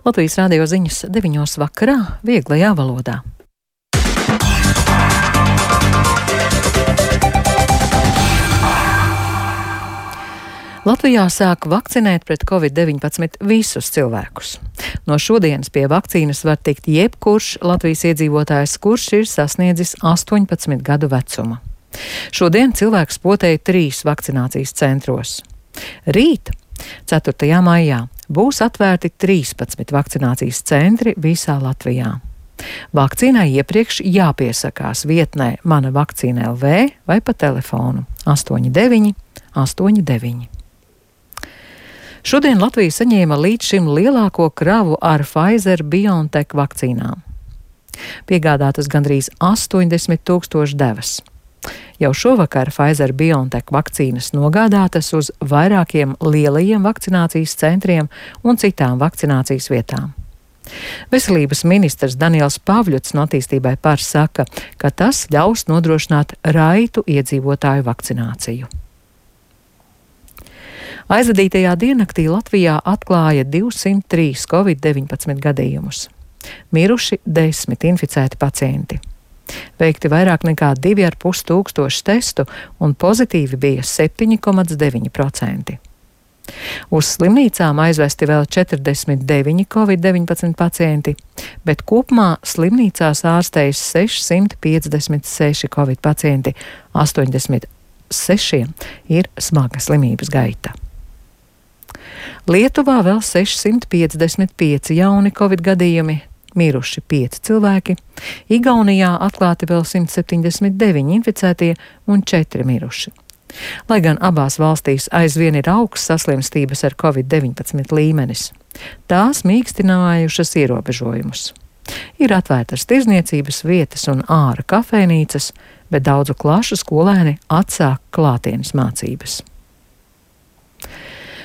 Latvijas radio ziņas 9 vakarā vieglajā valodā. Latvijā sāk vakcinēt pret Covid-19 visus cilvēkus. No šodienas pie vakcīnas var tikt jebkurš Latvijas iedzīvotājs, kurš ir sasniedzis 18 gadu vecumu. Šodien cilvēks potēja 3 vakcinācijas centros. Rīt, 4. maijā, būs atvērti 13 vakcinācijas centri visā Latvijā. Vakcīnai iepriekš jāpiesakās vietnē Mana vakcīna LV vai pa telefonu 89 89. Šodien Latvija saņēma līdz šim lielāko kravu ar Pfizer-BioNTech vakcīnām. Piegādātas gandrīz 80,000 devas. Jau šovakar Pfizer-BioNTech vakcīnas nogādātas uz vairākiem lielajiem vakcinācijas centriem un citām vakcinācijas vietām. Veselības ministrs Daniels Pavļuts no Attīstībai par saka, ka tas ļaus nodrošināt raitu iedzīvotāju vakcināciju. Aizvadītajā diennaktī Latvijā atklāja 203 Covid-19 gadījumus. Miruši 10 inficēti pacienti. Veikti vairāk nekā 2,5 tūkstoši testu un pozitīvi bija 7,9%. Uz slimnīcām aizvesti vēl 49 Covid-19 pacienti, bet kopumā slimnīcās ārstējas 656 Covid pacienti, 86 ir smaga slimības gaita. Lietuvā vēl 655 jauni Covid gadījumi, miruši 5 cilvēki, Igaunijā atklāti vēl 179 inficētie un 4 miruši. Lai gan abās valstīs aizvien ir augsts saslimstības ar Covid-19 līmenis, tās mīkstinājušas ierobežojumus. Ir atvērtas tirzniecības vietas un āra kafejnīcas, bet daudzu klašu skolēni atsāk klātienes mācības.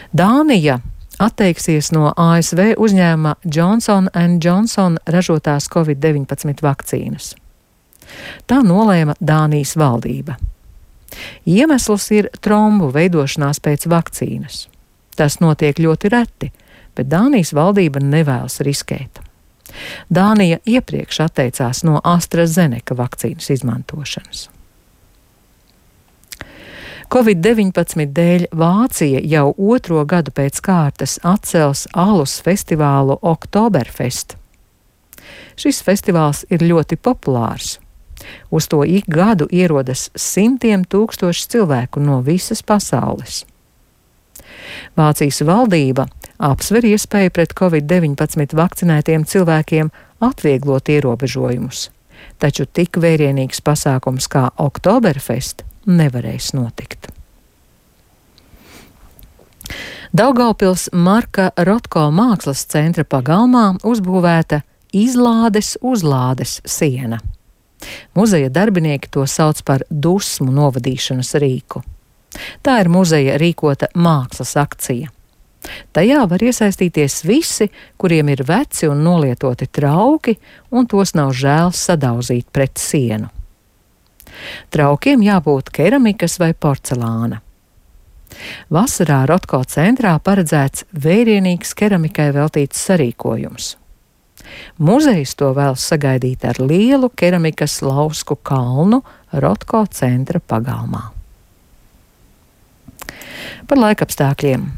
Dānija atteiksies no ASV uzņēmuma Johnson & Johnson ražotās Covid-19 vakcīnas. Tā nolēma Dānijas valdība. Iemesls ir trombu veidošanās pēc vakcīnas. Tas notiek ļoti reti, bet Dānijas valdība nevēlas riskēt. Dānija iepriekš atteicās no AstraZeneca vakcīnas izmantošanas. Covid-19 dēļ Vācija jau 2. gadu pēc kārtas atcels alus festivālu Oktoberfest. Šis festivāls ir ļoti populārs. Uz to ik gadu ierodas 100,000 cilvēku no visas pasaules. Vācijas valdība apsver iespēju pret Covid-19 vakcinētiem cilvēkiem atvieglot ierobežojumus, taču tik vērienīgs pasākums kā Oktoberfest nevarēs notikt. Daugavpils Marka Rotko mākslas centra pagalmā uzbūvēta izlādes uzlādes siena. Muzeja darbinieki to sauc par dusmu novadīšanas rīku. Tā ir muzeja rīkota mākslas akcija. Tajā var iesaistīties visi, kuriem ir veci un nolietoti trauki, un tos nav žēl sadauzīt pret sienu. Traukiem jābūt keramikas vai porcelāna. Vasarā Rotko centrā paredzēts vērienīgs keramikai veltīts sarīkojums. Muzejs to vēlas sagaidīt ar lielu keramikas lausku kalnu Rotko centra pagalmā. Par laikapstākļiem.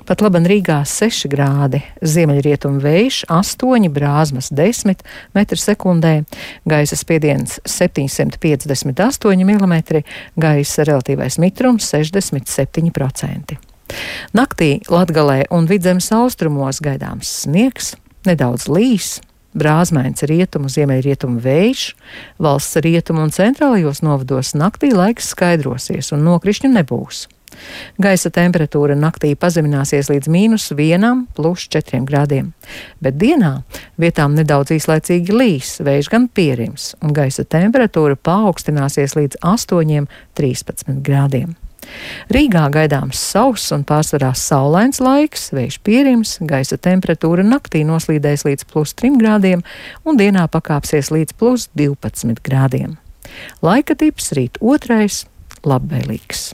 Pat laban Rīgā 6 grādi, ziemeļrietumu vējš 8, brāzmas 10 m/sekundē, gaisa spiediens 758 mm, gaisa relatīvais mitrums 67%. Naktī Latgalē un Vidzemes austrumos gaidāms sniegs, nedaudz līs, brāzmains rietumu, ziemeļrietumu vējš, valsts rietumu un centrālajos novados naktī laiks skaidrosies un nokrišņu nebūs. Gaisa temperatūra naktī pazemināsies līdz -1 + 4 grādiem, bet dienā vietām nedaudz īslaicīgi līs, vējš gan pierims, un gaisa temperatūra paaugstināsies līdz 8–13 grādiem. Rīgā gaidāms sauss un pārsvarā saulains laiks, vējš pierims, gaisa temperatūra naktī noslīdēs līdz +3 grādiem un dienā pakāpsies līdz +12 grādiem. Laika tips rīt 2. labvēlīgs.